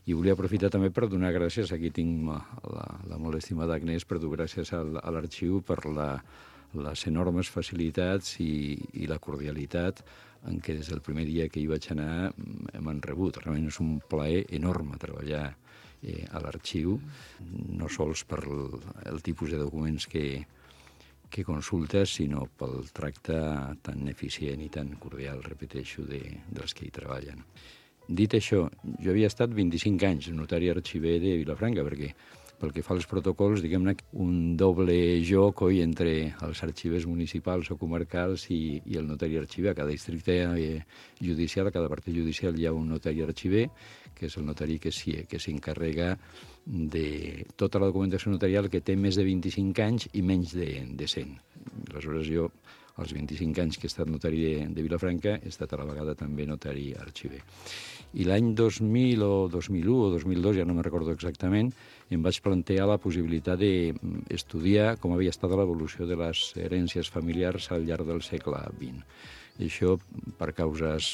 I volia aprofitar també per donar gràcies, aquí tinc la molt estimada Agnès, per donar gràcies a l'arxiu per les enormes facilitats i la cordialitat en què des del primer dia que hi vaig anar m'han rebut. Realment és un plaer enorme treballar a l'arxiu, no sols per el tipus de documents que consultes, sinó pel tracte tan eficient i tan cordial, repeteixo, dels que hi treballen. Dit això, jo havia estat 25 anys notari arxiver de Vilafranca, perquè pel que fa als protocols, diguem-ne, un doble joc entre els arxivers municipals o comarcals i el notari arxiver. A cada districte judicial, a cada partit judicial hi ha un notari arxiver, que és el notari que s'encarrega de tota la documentació notarial que té més de 25 anys i menys de 100. Aleshores, jo, als 25 anys que he estat notari de Vilafranca, he estat a la vegada també notari arxiver. I l'any 2000 o 2001 o 2002, ja no me'n recordo exactament, em vaig plantejar la possibilitat d'estudiar com havia estat l'evolució de les herències familiars al llarg del segle XX. I això per causes,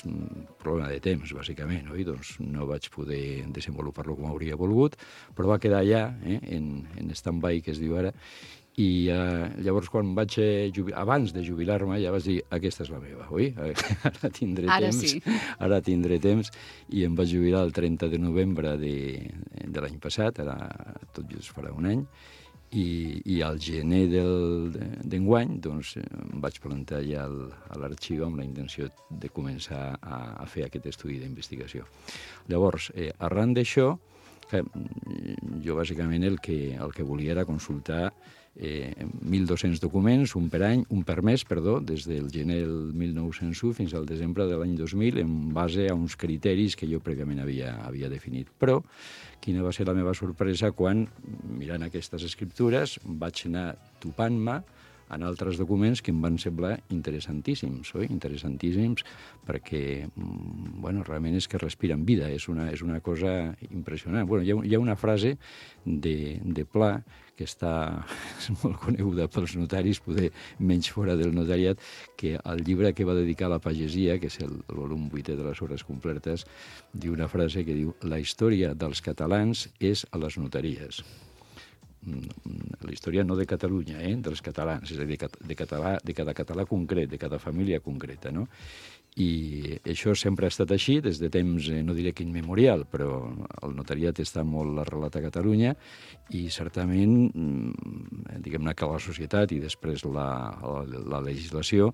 problema de temps, bàsicament, oi? Doncs no vaig poder desenvolupar-lo com hauria volgut, però va quedar allà, en stand-by, que es diu ara, i llavors quan vaig abans de jubilar-me ja vaig dir, aquesta és la meva, oi? Ara tindré temps, sí. Ara tindré temps, i em vaig jubilar el 30 de novembre de l'any passat, ara tot just farà un any, i al gener d'enguany doncs, em vaig plantar ja a l'arxiu amb la intenció de començar a fer aquest estudi d'investigació. Llavors, arran d'això, jo bàsicament el que volia era consultar 1.200 documents, un per mes, des del gener del 1901 fins al desembre de l'any 2000, en base a uns criteris que jo prèviament havia definit. Però quina va ser la meva sorpresa quan, mirant aquestes escriptures, vaig anar topant-me en altres documents que em van semblar interessantíssims, oi? Interessantíssims perquè, realment és que respiren vida, és una cosa impressionant. Hi ha una frase de Pla que és molt coneguda pels notaris, poder menys fora del notariat, que el llibre que va dedicar a la pagesia, que és el volum 8è de les hores completes, diu una frase que diu: la història dels catalans és a les notaries. La història no de Catalunya, dels catalans, és a dir, de cada català concret, de cada família concreta, no? I això sempre ha estat així, des de temps, no diré que immemorial, però el notariat està molt arrelat a Catalunya i certament, diguem-ne que la societat i després la legislació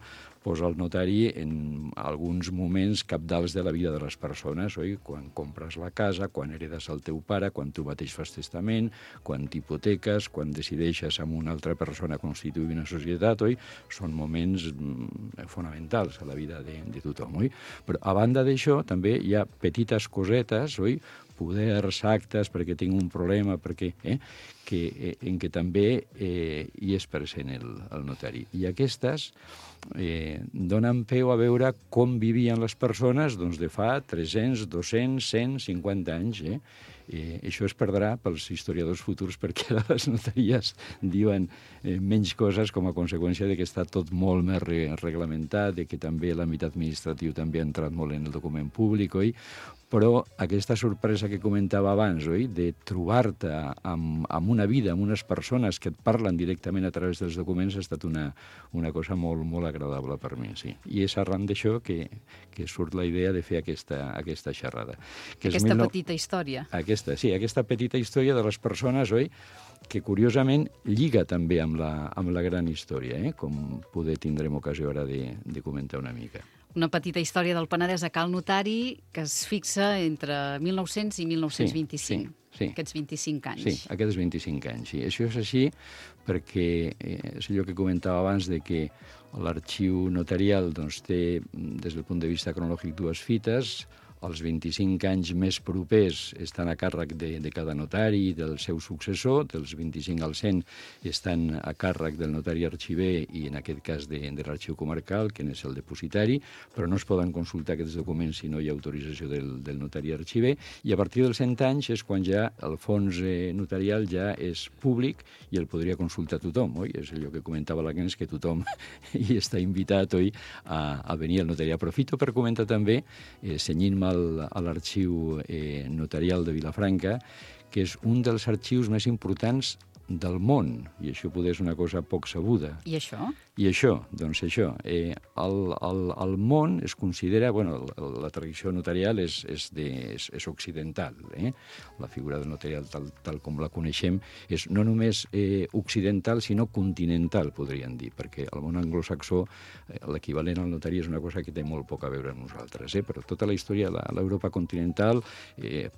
posa el notari en alguns moments cabdals de la vida de les persones, oi? Quan compres la casa, quan heredes el teu pare, quan tu mateix fas testament, quan t'hipoteques, quan decideixes amb una altra persona constituir una societat, oi? Són moments fonamentals a la vida de tothom, oi? Però a banda d'això també hi ha petites cosetes, oi? poders, actes, perquè tinc un problema, perquè, en què també hi és present el notari. I aquestes donen peu a veure com vivien les persones doncs, de fa 300, 200, 150 anys. Això es perdrà pels historiadors futurs perquè ara les notaries diuen menys coses com a conseqüència de que està tot molt més reglamentat, de que també l'àmbit administratiu també ha entrat molt en el document públic, oi? Però aquesta sorpresa que comentava abans, oi? De trobar-te amb una vida, amb unes persones que et parlen directament a través dels documents, ha estat una cosa molt, molt agradable per mi, sí. I és arran d'això que surt la idea de fer aquesta xerrada. Aquesta petita història. Aquesta petita història de les persones, oi?, que curiosament lliga també amb la gran història, com poder tindrem ocasió ara de comentar una mica. Una petita història del Penedès a Cal Notari que es fixa entre 1900 i 1925. Sí. Aquests 25 anys. Sí, aquests 25 anys. Sí. Això és així perquè és allò que comentava abans de que l'arxiu notarial doncs, té, des del punt de vista cronològic, dues fites. Els 25 anys més propers estan a càrrec de cada notari i del seu successor, dels 25 al 100 estan a càrrec del notari arxiver i en aquest cas de l'arxiu comarcal, que és el depositari, però no es poden consultar aquests documents si no hi ha autorització del notari arxiver, i a partir dels 100 anys és quan ja el fons notarial ja és públic i el podria consultar tothom, oi? És allò que comentava l'Agnès, que tothom hi està invitat, oi?, a venir al notari. Aprofito per comentar també, cenyint-me a l'arxiu notarial de Vilafranca, que és un dels arxius més importants del món, i això poder és una cosa poc sabuda. I això? I això, doncs això, el món es considera, bueno, la tradició notarial és occidental, la figura del notarial tal com la coneixem és no només occidental, sinó continental, podríem dir, perquè al món anglosaxó l'equivalent al notari és una cosa que té molt poc a veure amb nosaltres, però tota la història de l'Europa continental,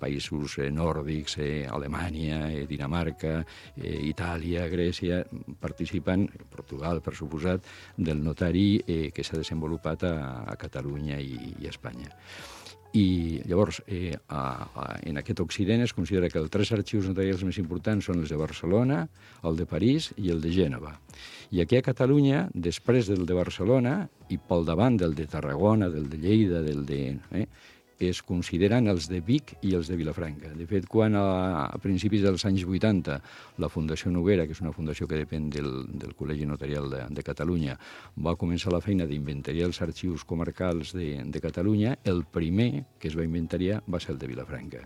països nòrdics, Alemanya, Dinamarca, Itàlia, Grècia, participen, Portugal, per suposat, del notari que s'ha desenvolupat a Catalunya i a Espanya. I llavors, en aquest Occident es considera que els 3 arxius notarials més importants són els de Barcelona, el de París i el de Gènova. I aquí a Catalunya, després del de Barcelona, i pel davant del de Tarragona, del de Lleida, es consideren els de Vic i els de Vilafranca. De fet, quan a principis dels anys 80 la Fundació Noguera, que és una fundació que depèn del Col·legi Notarial de Catalunya, va començar la feina d'inventariar els arxius comarcals de Catalunya, el primer que es va inventariar va ser el de Vilafranca.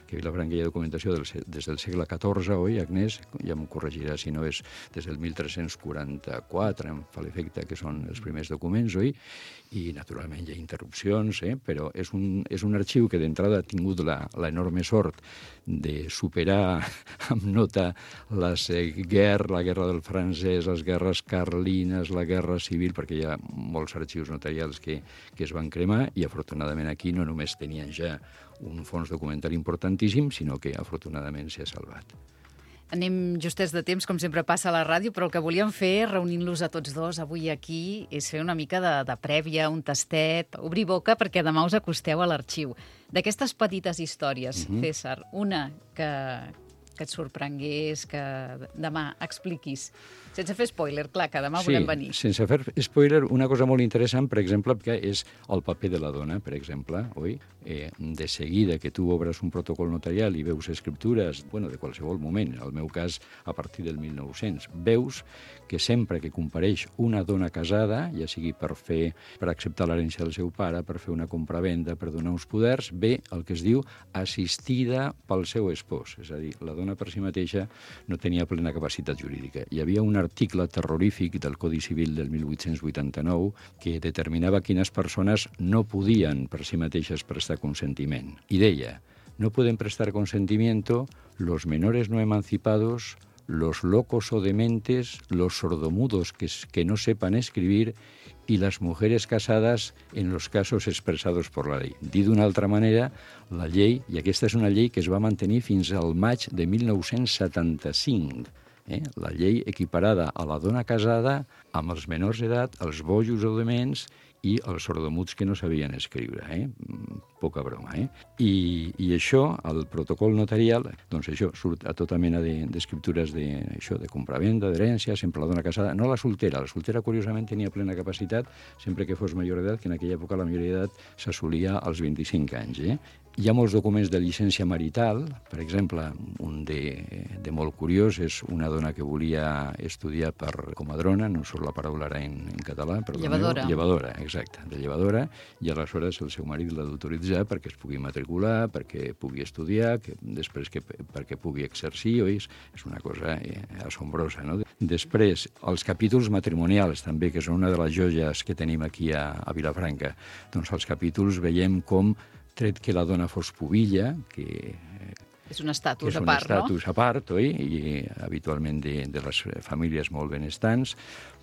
Que a Vilafranca hi ha documentació des del segle XIV, oi, Agnès? Ja m'ho corregirà si no és des del 1344, em fa l'efecte que són els primers documents, oi? I, naturalment, hi ha interrupcions, però és un arxiu que d'entrada ha tingut l'enorme sort de superar amb nota la guerra del francès, les guerres carlines, la guerra civil, perquè hi ha molts arxius notarials que es van cremar i, afortunadament, aquí no només tenien ja un fons documental importantíssim, sinó que, afortunadament, s'ha salvat. Anem justets de temps, com sempre passa a la ràdio, però el que volíem fer, reunint-los a tots dos avui aquí, és fer una mica de prèvia, un tastet, obrir boca, perquè demà us acosteu a l'arxiu. D'aquestes petites històries, César, una que et sorprengués, que demà expliquis. Sense fer spoiler, clar, que demà volem venir. Sí, sense fer spoiler, una cosa molt interessant, per exemple, que és el paper de la dona, per exemple, oi? De seguida que tu obres un protocol notarial i veus escriptures, de qualsevol moment, en el meu cas a partir del 1900, veus que sempre que compareix una dona casada, ja sigui per acceptar l'herència del seu pare, per fer una compravenda, per donar uns poders, ve el que es diu assistida pel seu espòs. És a dir, la dona per si mateixa no tenia plena capacitat jurídica. Hi havia un article terrorífic del Codi Civil del 1889 que determinava quines persones no podien per si mateixes prestar consentiment. I deia, no pueden prestar consentimiento los menores no emancipados, los locos o dementes, los sordomudos que no sepan escribir y las mujeres casadas en los casos expresados por la ley. Dit d'una altra manera, la llei, i aquesta és una llei que es va mantenir fins al maig de 1975, la llei equiparada a la dona casada amb els menors d'edat, els bojos o dements, i els sordomuts que no sabien escriure, poca broma. I això, el protocol notarial, doncs això, surt a tota mena d'escriptures de compravenda, d'herència, sempre la dona casada, no la soltera curiosament tenia plena capacitat, sempre que fos major d'edat, que en aquella època la majoria d'edat s'assolia als 25 anys. Hi ha molts documents de llicència marital, per exemple, un de molt curiós és una dona que volia estudiar per comadrona, no surt la paraula ara en català, però llevadora, exacte, de llevadora, i aleshores el seu marit l'ha d'autoritzar perquè es pugui matricular, perquè pugui estudiar, després perquè pugui exercir, oi? És una cosa assombrosa, no? Després, els capítols matrimonials, també, que són una de les joies que tenim aquí a Vilafranca. Doncs als capítols veiem com, tret que la dona fos pubilla, que és un estatus a part, no? És un estatus a part, oi? I habitualment de les famílies molt benestants,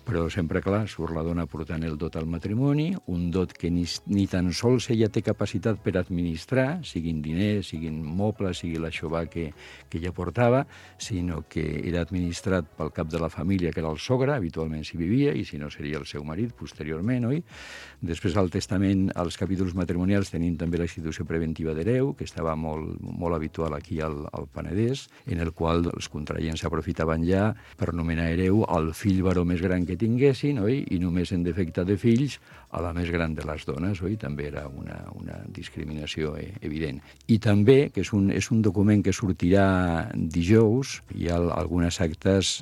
però sempre, clar, surt la dona portant el dot al matrimoni, un dot que ni tan sols ella té capacitat per administrar, siguin diners, siguin mobles, sigui l'aixovar que ella portava, sinó que era administrat pel cap de la família, que era el sogre, habitualment s'hi vivia, i si no seria el seu marit posteriorment, oi? Després, al testament, als capítols matrimonials, tenim també la institució preventiva d'hereu, que estava molt habitual aquí al Penedès, en el qual els contraients s'aprofitaven ja per nomenar hereu al fill varó més gran que tinguessin, oi? I només en defecte de fills a la més gran de les dones, oi? També era una discriminació evident. I també, que és un document que sortirà dijous, hi ha algunes actes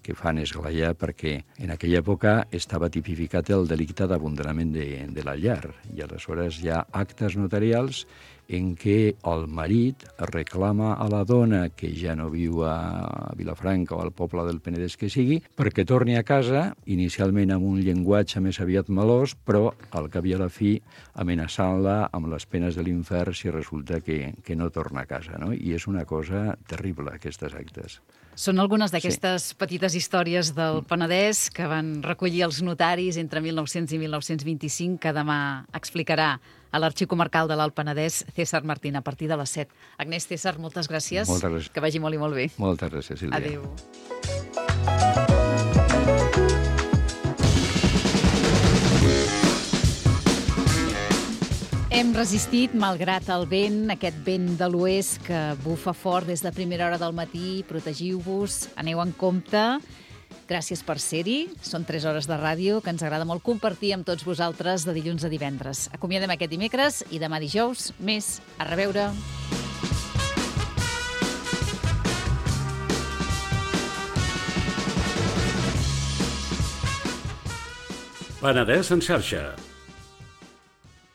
que fan esglaiar perquè en aquella època estava tipificat el delicte d'abandonament de la llar, i aleshores hi ha actes notarials en què el marit reclama a la dona que ja no viu a Vilafranca o al poble del Penedès que sigui, perquè torni a casa, inicialment amb un llenguatge més aviat melós, però al cap i a la fi amenaçant-la amb les penes de l'infern si resulta que no torna a casa, no? I és una cosa terrible, aquestes actes. Són algunes d'aquestes petites històries del Penedès que van recollir els notaris entre 1900 i 1925, que demà explicarà a l'Arxiu Comarcal de l'Alt Penedès César Martín a partir de les 7. Agnès, César, moltes gràcies. Moltes gràcies. Que vagi molt i molt bé. Moltes gràcies, Sílvia. Adéu. Hem resistit, malgrat el vent, aquest vent de l'oest que bufa fort des de primera hora del matí. Protegiu-vos, aneu en compte. Gràcies per ser-hi. Són 3 hores de ràdio que ens agrada molt compartir amb tots vosaltres de dilluns a divendres. Acomiadem aquest dimecres i demà dijous més. A reveure. Penedès en xarxa.